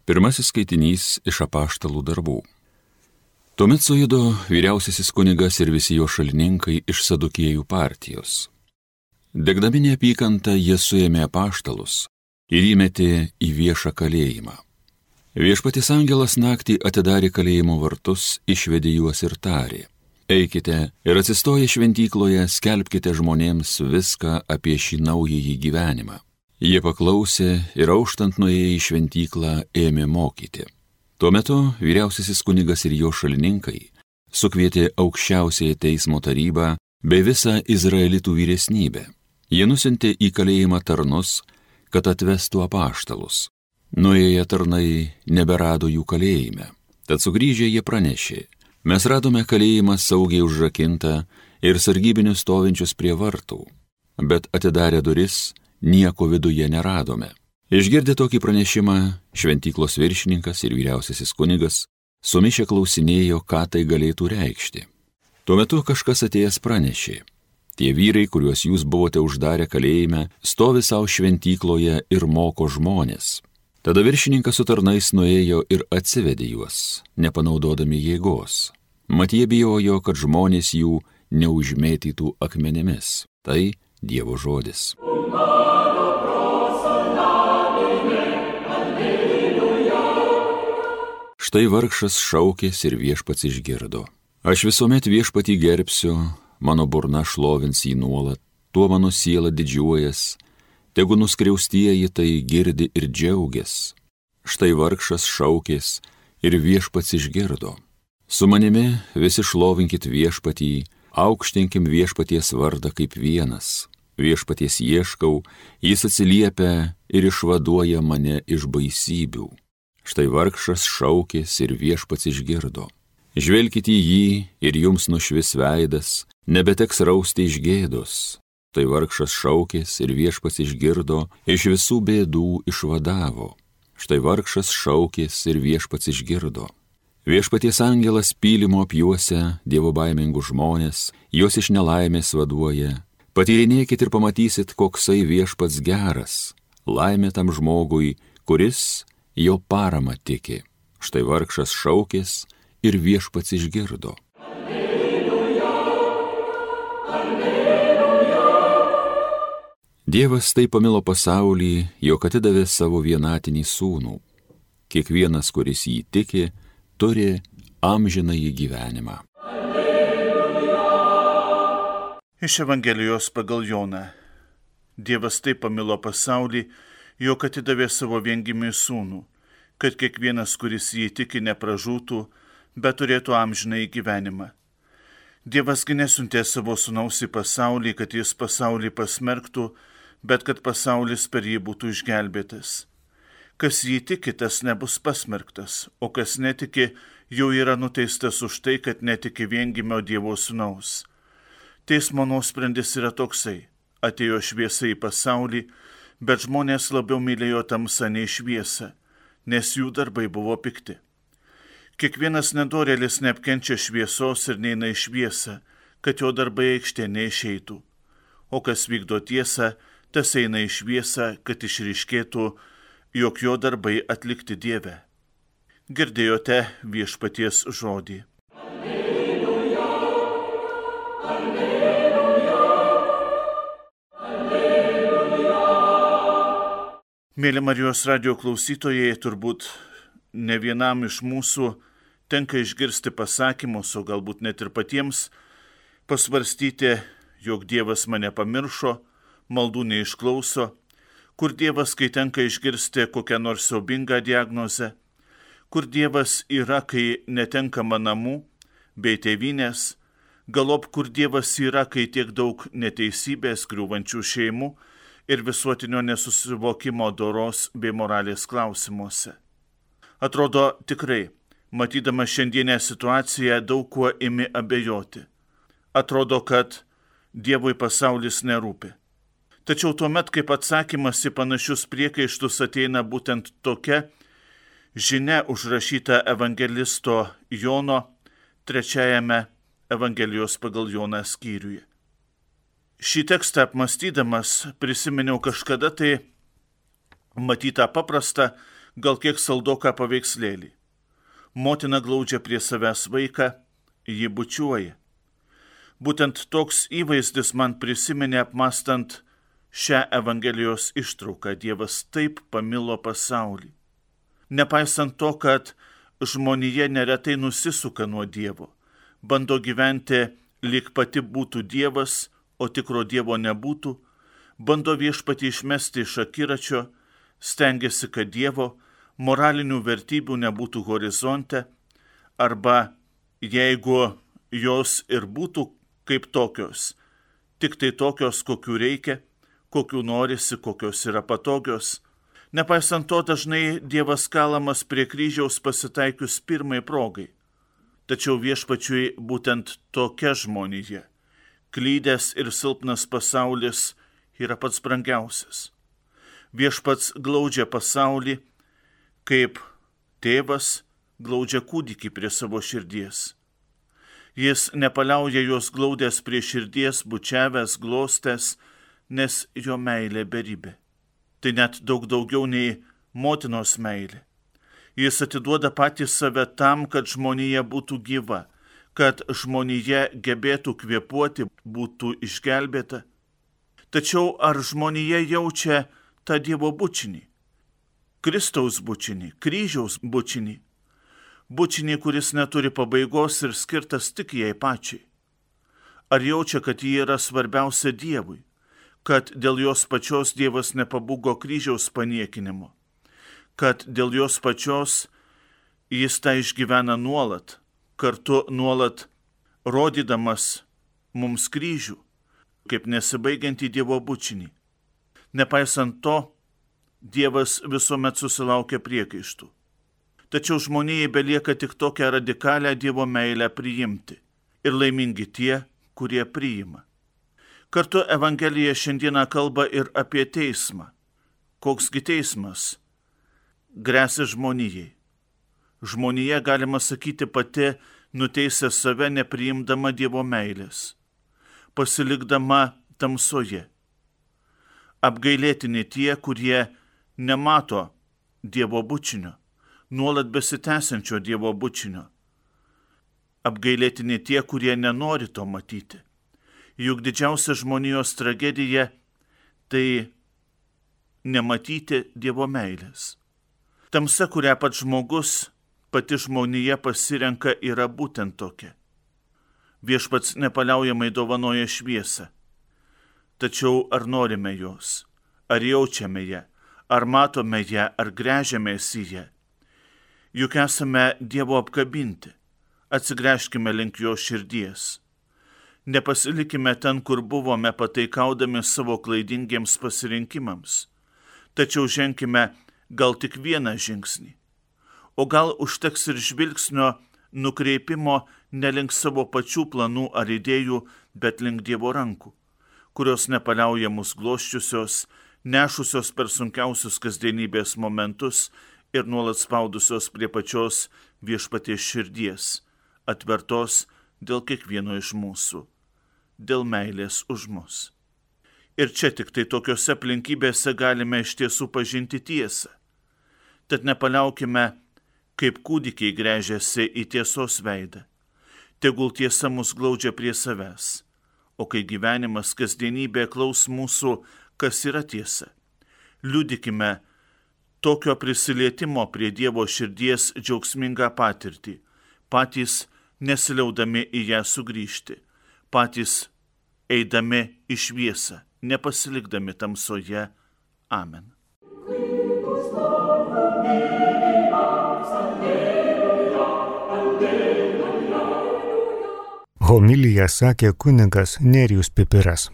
Pirmasis skaitinys iš apaštalų darbų. Tuomet sujudo vyriausiasis kunigas ir visi jo šalininkai iš Sadukiejų partijos. Degdami neapykantą jie suėmė apaštalus ir įmetė į viešą kalėjimą. Viešpaties angelas naktį atidarė kalėjimo vartus, išvedė juos ir tarė: eikite ir atsistoję šventykloje skelbkite žmonėms viską apie šį naująjį gyvenimą. Jie paklausė ir auštant nuėję į šventyklą ėmė mokyti. Tuo metu vyriausiasis kunigas ir jo šalininkai sukvietė aukščiausiąją teismo tarybą bei visą izraelitų vyresnybę. Jie nusiuntė į kalėjimą tarnus, kad atvestų apaštalus. Nuėję tarnai neberado jų kalėjime. Tad sugrįžę jie pranešė: mes radome kalėjimą saugiai užrakintą ir sargybinius stovinčius prie vartų, bet atidarę duris nieko viduje neradome. Išgirdę tokį pranešimą, šventyklos viršininkas ir vyriausiasis kunigas sumišę klausinėjo, ką tai galėtų reikšti. Tuo metu kažkas atėjęs pranešė: tie vyrai, kuriuos jūs buvote uždarę kalėjime, stovi savo šventykloje ir moko žmonės. Tada viršininkas su tarnais nuėjo ir atsivedė juos, nepanaudodami jėgos. Mat jie bijojo, kad žmonės jų neužmėtytų akmenimis. Tai Dievo žodis. Štai vargšas šaukės ir viešpats išgirdo. Aš visuomet viešpatį gerbsiu, mano burna šlovins jį nuolat, tuo mano siela didžiuojas, tegu nuskriaustieji tai girdi ir džiaugias. Štai vargšas šaukės ir viešpats išgirdo. Su manimi visi šlovinkit viešpatį, aukštinkim viešpaties vardą kaip vienas. Viešpaties ieškau, jis atsiliepia ir išvaduoja mane iš baisybių. Štai vargšas šaukės ir viešpats išgirdo. Žvelkite į jį ir jums nušvis veidas, nebeteks rausti iš gėdos. Tai vargšas šaukės ir viešpats išgirdo, iš visų bėdų išvadavo. Štai vargšas šaukės ir viešpats išgirdo. Viešpaties angelas pylimo apjuosia dievobaimingus žmonės, juos iš nelaimės vaduoja. Patyrinėkit ir pamatysit, koksai viešpats geras. Laimė tam žmogui, kuris jo parama tiki. Štai vargšas šaukės ir viešpats išgirdo. Alleluja, alleluja. Dievas taip pamilo pasaulį, jog atidavė savo vienatinį sūnų. Kiekvienas, kuris jį tiki, turi amžinąjį gyvenimą. Iš Evangelijos pagal Joną. Dievas taip pamilo pasaulį, jog atidavė savo viengimį sūnų, kad kiekvienas, kuris jį tiki, nepražūtų, bet turėtų amžinąjį gyvenimą. Dievasgi nesiuntė savo sūnaus į pasaulį, kad jis pasaulį pasmerktų, bet kad pasaulis per jį būtų išgelbėtas. Kas jį tiki, tas nebus pasmerktas, o kas netiki, jau yra nuteistas už tai, kad netiki viengimio Dievo sūnaus. Teismo nuosprendis yra toksai: atėjo šviesa į pasaulį, bet žmonės labiau mylėjo tamsą nei šviesą, nes jų darbai buvo pikti. Kiekvienas nedorėlis neapkenčia šviesos ir neina į šviesą, kad jo darbai aikštė neišeitų. O kas vykdo tiesą, tas eina į šviesą, kad išryškėtų, jog jo darbai atlikti Dieve. Girdėjote viešpaties žodį. Alleluja, alleluja, alleluja. Mėly Marijos radijo klausytojai, turbūt ne vienam iš mūsų tenka išgirsti pasakymus, o galbūt net ir patiems pasvarstyti, jog Dievas mane pamiršo, maldų neišklauso, kur Dievas, kai tenka išgirsti kokią nors siaubingą diagnozę, kur Dievas yra, kai netenkama namų bei tėvynės, galop kur Dievas yra, kai tiek daug neteisybės, griūvančių šeimų ir visuotinio nesusivokimo doros bei moralės klausimuose. Atrodo tikrai, matydama šiandienę situaciją, daug kuo imi abejoti. Atrodo, kad Dievui pasaulis nerūpi. Tačiau tuomet, kaip atsakymas į panašius priekaištus, ateina būtent tokia žinia užrašyta evangelisto Jono 3 Evangelijos pagal Joną skyriuje. Šį tekstą apmąstydamas prisiminiau kažkada tai matytą paprastą, gal kiek saldoką paveikslėlį. Motina glaudžia prie savęs vaiką, jį bučiuoja. Būtent toks įvaizdis man prisiminė apmastant šią Evangelijos ištrauką. Dievas taip pamilo pasaulį. Nepaisant to, kad žmonija neretai nusisuka nuo Dievo, bando gyventi lyg pati būtų Dievas, o tikro Dievo nebūtų, bando viešpatį išmesti iš akiračio, stengiasi, kad Dievo moralinių vertybių nebūtų horizonte, arba jeigu jos ir būtų kaip tokios, tik tai tokios, kokių reikia, kokių norisi, kokios yra patogios. Nepaisant to, dažnai Dievas kalamas prie kryžiaus pasitaikius pirmai progai. Tačiau viešpačiui būtent tokia žmonija, klydęs ir silpnas pasaulis, yra pats brangiausias. Viešpats glaudžia pasaulį, kaip tėvas glaudžia kūdikį prie savo širdies. Jis nepaliauja juos glaudęs prie širdies, bučiavęs, glostęs, nes jo meilė beribė. Tai net daug daugiau nei motinos meilė. Jis atiduoda patį save tam, kad žmonija būtų gyva, kad žmonija gebėtų kvėpuoti, būtų išgelbėta. Tačiau ar žmonija jaučia tą Dievo bučinį? Kristaus bučinį, kryžiaus bučinį. Bučinį, kuris neturi pabaigos ir skirtas tik jai pačiai. Ar jaučia, kad ji yra svarbiausia Dievui? Kad dėl jos pačios Dievas nepabūgo kryžiaus paniekinimo, kad dėl jos pačios jis tą išgyvena nuolat, kartu nuolat rodydamas mums kryžių, kaip nesibaigiantį Dievo bučinį. Nepaisant to, Dievas visuomet susilaukia priekaištų. Tačiau žmonijai belieka tik tokią radikalią Dievo meilę priimti ir laimingi tie, kurie priima. Kartu Evangelija šiandieną kalba ir apie teismą. Koksgi teismas gresia žmonijai? Žmonija, galima sakyti, pati nuteisė save nepriimdama Dievo meilės, pasilikdama tamsoje. Apgailėtini tie, kurie nemato Dievo bučinio, nuolat besitęsiančio Dievo bučinio. Apgailėtini tie, kurie nenori to matyti. Juk didžiausia žmonijos tragedija tai nematyti Dievo meilės. Tamsa, kurią pats žmogus, pati žmonija pasirenka, yra būtent tokia. Viešpats nepaliaujamai dovanoja šviesą. Tačiau ar norime jos, ar jaučiame ją, ar matome ją, ar gręžiamės į ją? Juk esame Dievo apkabinti, atsigręžkime link jo širdies. Nepasilikime ten, kur buvome, pataikaudami savo klaidingiems pasirinkimams. Tačiau ženkime gal tik vieną žingsnį. O gal užteks ir žvilgsnio nukreipimo ne link savo pačių planų ar idėjų, bet link Dievo rankų, kurios nepaliauja mus glosčiusios, nešusios per sunkiausius kasdienybės momentus ir nuolat spaudusios prie pačios viešpaties širdies, atvertos dėl kiekvieno iš mūsų, dėl meilės už mus. Ir čia tik tai tokiose aplinkybėse galime iš tiesų pažinti tiesą. Tad nepaliaukime, kaip kūdikiai gręžiasi į tiesos veidą. Tegul tiesa mus glaudžia prie savęs. O kai gyvenimas, kasdienybė klaus mūsų, kas yra tiesa, liudykime tokio prisilietimo prie Dievo širdies džiaugsmingą patirtį, patys nesiliaudami į ją sugrįžti, patys eidami į šviesą, nepasilikdami tamsoje. Amen. Homiliją sakė kunigas Nerijus Pipiras.